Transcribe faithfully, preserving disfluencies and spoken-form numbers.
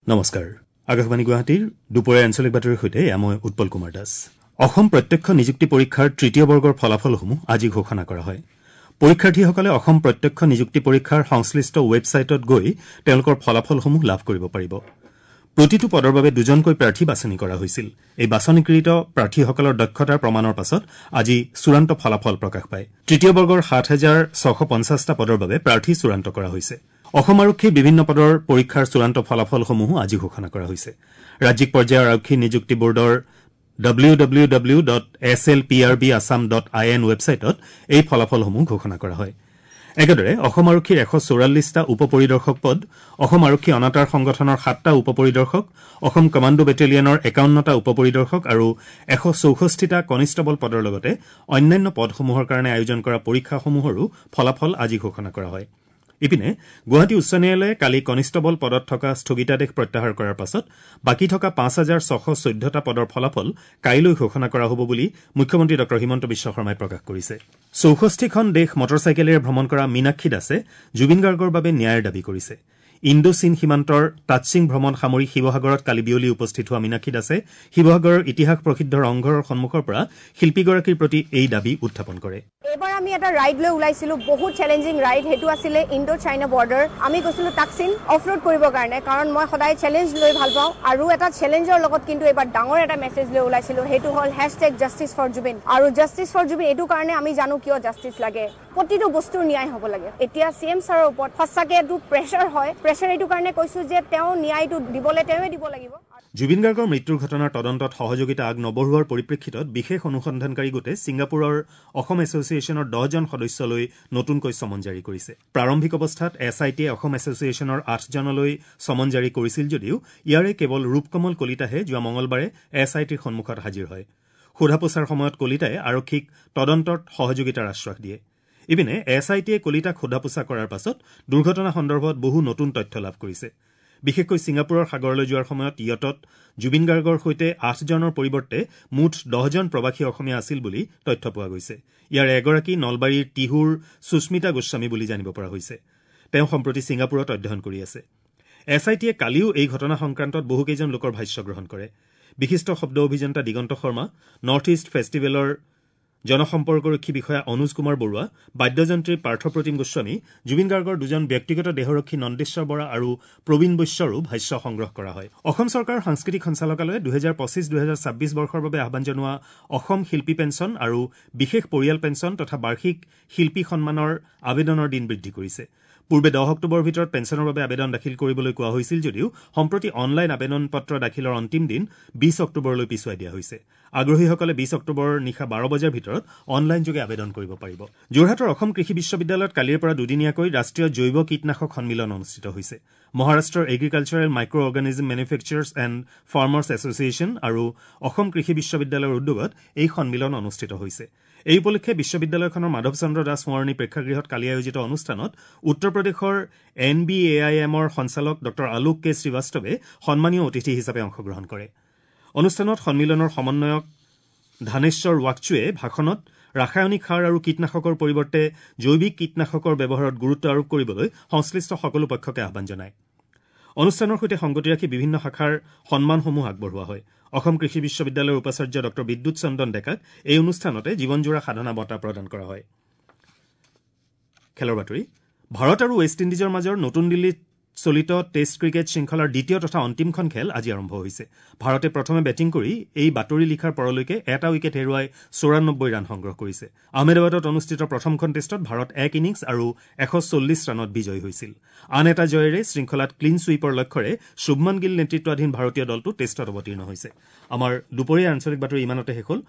নমস্কাৰ, আকাশবাণী গুৱাহাটীৰ দুপৰীয়া আঞ্চলিক বাতৰিৰ সৈতে এয়া মই উৎপল কুমাৰ দাস। অসম প্ৰত্যক্ষ নিযুক্তি পৰীক্ষাৰ তৃতীয় বৰ্গৰ ফলাফলসমূহ আজি ঘোষণা কৰা হয়। পৰীক্ষাৰ্থীসকলে অসম প্ৰত্যক্ষ নিযুক্তি পৰীক্ষাৰ সংশ্লিষ্ট ৱেবছাইটত গৈ তেওঁলোকৰ ফলাফলসমূহ লাভ কৰিব পাৰিব। প্ৰতিটো পদৰ বাবে দুজনকৈ প্ৰাৰ্থী বাছনি কৰা হৈছিল। এই বাছনিকৃত প্ৰাৰ্থীসকলৰ দক্ষতাৰ প্ৰমাণৰ পাছত আজি চূড়ান্ত ফলাফল প্ৰকাশ পায়। তৃতীয় বৰ্গৰ সাত হাজাৰ ছশ পঞ্চাছটা পদৰ বাবে প্ৰাৰ্থী চূড়ান্ত কৰা হৈছে। অসম আৰক্ষীৰ বিভিন্ন পদৰ পৰীক্ষাৰ চূড়ান্ত ফলাফলসমূহো আজি ঘোষণা কৰা হৈছে। ৰাজ্যিক পৰ্যায়ৰ আৰক্ষী নিযুক্তি বোৰ্ডৰ W W W dot S L P R B Assam dot I N ৱেবছাইটত এই ফলাফলসমূহ ঘোষণা কৰা হয়। একেদৰে অসম আৰক্ষীৰ এশ চৌৰাল্লিছটা উপ পৰিদৰ্শক পদ, অসম আৰক্ষী অনাতাঁৰ সংগঠনৰ সাতটা উপ পৰিদৰ্শক, অসম কমাণ্ডো বেটেলিয়নৰ একাৱন্নটা উপ পৰিদৰ্শক আৰু এশ চৌষষ্ঠিটা কনিষ্টবল পদৰ লগতে অন্যান্য পদসমূহৰ কাৰণে আয়োজন কৰা পৰীক্ষাসমূহৰো ফলাফল আজি ঘোষণা কৰা হয়। ইপিনে গুৱাহাটী উচ্চ ন্যায়ালয়ে কালি কনিষ্টবল পদত থকা স্থগিতাদেশ প্ৰত্যাহাৰ কৰাৰ পাছত বাকী থকা পাঁচ হাজাৰ ছশ চৈধ্যটা পদৰ ফলাফল কাইলৈ ঘোষণা কৰা হ'ব বুলি মুখ্যমন্ত্ৰী ডঃ হিমন্ত বিশ্ব শৰ্মাই প্ৰকাশ কৰিছে। চৌষষ্ঠিখন দেশ মটৰচাইকেলেৰে ভ্ৰমণ কৰা মীনাক্ষী দাসে জুবিন গাৰ্গৰ বাবে ন্যায়ৰ দাবী কৰিছে। ইণ্ডো চীন সীমান্তৰ টাটছিং ভ্ৰমণ সামৰি শিৱসাগৰত কালি বিয়লি উপস্থিত হোৱা মীনাক্ষী দাসে শিৱসাগৰৰ ইতিহাস প্ৰসিদ্ধ ৰংঘৰৰ সন্মুখৰ পৰা শিল্পীগৰাকীৰ প্ৰতি এই দাবী উত্থাপন কৰে। এইবাৰ আমি এটা ৰাইড লৈ ওলাইছিলোঁ, বহুত চেলেঞ্জিং ৰাইড। সেইটো আছিলে ইণ্ডো চাইনা বৰ্ডাৰ। আমি গৈছিলোঁ টাকচিন অফ ৰোড কৰিবৰ কাৰণে, কাৰণ মই সদায় চেলেঞ্জ লৈ ভাল পাওঁ। আৰু এটা চেলেঞ্জৰ লগত কিন্তু এইবাৰ ডাঙৰ এটা মেছেজ লৈ ওলাইছিলোঁ, সেইটো হ'ল হেছটেগ জাষ্টিছ ফৰ জুবিন। আৰু জাষ্টিছ ফৰ জুবিন এইটো কাৰণে আমি জানো কিয় জাষ্টিছ লাগে, প্ৰতিটো বস্তুৰ ন্যায় হ'ব লাগে। এতিয়া চি এম ছাৰৰ ওপৰত সঁচাকৈ এইটো প্ৰেছাৰ হয়। প্ৰেছাৰ এইটো কাৰণে কৈছোঁ যে তেওঁ ন্যায়টো দিবলৈ তেওঁৱে দিব লাগিব। জুবিন গাৰ্গৰ মৃত্যুৰ ঘটনাৰ তদন্তত সহযোগিতা আগ নবঢ়োৱাৰ পৰিপ্ৰেক্ষিতত বিশেষ অনুসন্ধানকাৰী গোটে ছিংগাপুৰৰ অসম এছ'চিয়েশ্যনৰ দহজন সদস্যলৈ নতুনকৈ চমন জাৰি কৰিছে। প্ৰাৰম্ভিক অৱস্থাত এছ I টিয়ে অসম এছ'চিয়েশ্যনৰ আঠজনলৈ চমন জাৰি কৰিছিল যদিও ইয়াৰে কেৱল ৰূপকমল কলিতাহে যোৱা মঙলবাৰে এছ I টিৰ সন্মুখত হাজিৰ হয়। সোধা পোছাৰ সময়ত কলিতাই আৰক্ষীক তদন্তত সহযোগিতাৰ আশ্বাস দিয়ে। ইপিনে এছ I টিয়ে কলিতাক সোধা পোছা কৰাৰ পাছত দুৰ্ঘটনা সন্দৰ্ভত বহু নতুন তথ্য লাভ কৰিছে। বিশেষকৈ ছিংগাপুৰৰ সাগৰলৈ যোৱাৰ সময়ত য়টত জুবিন গাৰ্গৰ সৈতে আঠজনৰ পৰিৱৰ্তে মুঠ দহজন প্ৰৱাসী অসমীয়া আছিল বুলি তথ্য পোৱা গৈছে। ইয়াৰে এগৰাকী নলবাৰীৰ টিহুৰ সুস্মিতা গোস্বামী বুলি জানিব পৰা হৈছে। তেওঁ সম্প্ৰতি ছিংগাপুৰত অধ্যয়ন কৰি আছে। এছ I টিয়ে কালিও এই ঘটনা সংক্ৰান্তত বহুকেইজন লোকৰ ভাষ্য গ্ৰহণ কৰে। বিশিষ্ট শব্দ অভিযন্তা দিগন্ত শৰ্মা, নৰ্থ ইষ্ট ফেষ্টিভেলৰ জনসম্পৰ্কৰক্ষী বিষয়া অনুজ কুমাৰ বৰুৱা, বাদ্যযন্ত্ৰী পাৰ্থপ্ৰতিম গোস্বামী, জুবিন গাৰ্গৰ দুজন ব্যক্তিগত দেহৰক্ষী নন্দেশ্বৰ বৰা আৰু প্ৰবীণ বৈশ্যৰো ভাষ্য সংগ্ৰহ কৰা হয়। অসম চৰকাৰৰ সাংস্কৃতিক সঞ্চালকালয়ে দুহেজাৰ পঁচিছ দুহেজাৰ ছাব্বিছ বৰ্ষৰ বাবে আহ্বান জনোৱা অসম শিল্পী পেঞ্চন আৰু বিশেষ পৰিয়াল পেঞ্চন তথা বাৰ্ষিক শিল্পী সন্মানৰ আবেদনৰ দিন বৃদ্ধি কৰিছে। পূৰ্বে দহ অক্টোবৰৰ ভিতৰত পেঞ্চনৰ বাবে আবেদন দাখিল কৰিবলৈ কোৱা হৈছিল যদিও সম্প্ৰতি অনলাইন আবেদন পত্ৰ দাখিলৰ অন্তিম দিন বিছ অক্টোবৰলৈ পিছুৱাই দিয়া হৈছে। আগ্ৰহীসকলে বিছ অক্টোবৰৰ নিশা বাৰ বজাৰ ভিতৰত অনলাইনযোগে আবেদন কৰিব পাৰিব। যোৰহাটৰ অসম কৃষি বিশ্ববিদ্যালয়ত কালিৰ পৰা দুদিনীয়াকৈ ৰাষ্ট্ৰীয় জৈৱ কীটনাশক সন্মিলন অনুষ্ঠিত হৈছে। মহাৰাষ্ট্ৰৰ agricultural micro organism manufacturers and farmers association আৰু অসম কৃষি বিশ্ববিদ্যালয়ৰ উদ্যোগত এই সন্মিলন অনুষ্ঠিত হৈছে। এই উপলক্ষে বিশ্ববিদ্যালয়খনৰ মাধৱ চন্দ্ৰ দাস সোঁৱৰণী প্ৰেক্ষাগৃহত কালি আয়োজিত অনুষ্ঠানত উত্তৰ প্ৰদেশৰ এন বি এ I এমৰ সঞ্চালক ডঃ আলোক কে শ্ৰীবাস্তৱে সন্মানীয় অতিথি হিচাপে অংশগ্ৰহণ কৰে। অনুষ্ঠানত সন্মিলনৰ সমন্বয়ক ধানেশ্বৰ ৱাকচুৱে ভাষণত ৰাসায়নিক সাৰ আৰু কীটনাশকৰ পৰিৱৰ্তে জৈৱিক কীটনাশকৰ ব্যৱহাৰত গুৰুত্ব আৰোপ কৰিবলৈ সংশ্লিষ্ট সকলো পক্ষকে আহ্বান জনায়। অনুষ্ঠানৰ সৈতে সংগতি ৰাখি বিভিন্ন শাখাৰ সন্মানসমূহ আগবঢ়োৱা হয়। অসম কৃষি বিশ্ববিদ্যালয়ৰ উপাচাৰ্য ডঃ বিদ্যুৎ চন্দন ডেকাক এই অনুষ্ঠানতে জীৱনজোৰা সাধনা বঁটা প্ৰদান কৰা হয়। খেলৰ বাতৰি। ভাৰত আৰু ৱেষ্ট ইণ্ডিজৰ মাজৰ নতুন দিল্লীত চলিত টেষ্ট ক্ৰিকেট শৃংখলাৰ দ্বিতীয় তথা অন্তিমখন খেল আজি আৰম্ভ হৈছে। ভাৰতে প্ৰথমে বেটিং কৰি এই বাতৰি লিখাৰ পৰলৈকে এটা উইকেট হেৰুৱাই চৌৰান্নব্বৈ ৰান সংগ্ৰহ কৰিছে। আহমেদাবাদত অনুষ্ঠিত প্ৰথমখন টেষ্টত ভাৰত এক ইনিংছ আৰু এশ চল্লিছ ৰানত বিজয়ী হৈছিল। আন এটা জয়েৰে শৃংখলাত ক্লীন ছুইপৰ লক্ষ্যৰে শুভমন গিল নেতৃত্বাধীন ভাৰতীয় দলটো টেষ্টত অৱতীৰ্ণ হৈছে। আমাৰ দুপৰীয়া আঞ্চলিক বাতৰি ইমানতে শেষ হ'ল।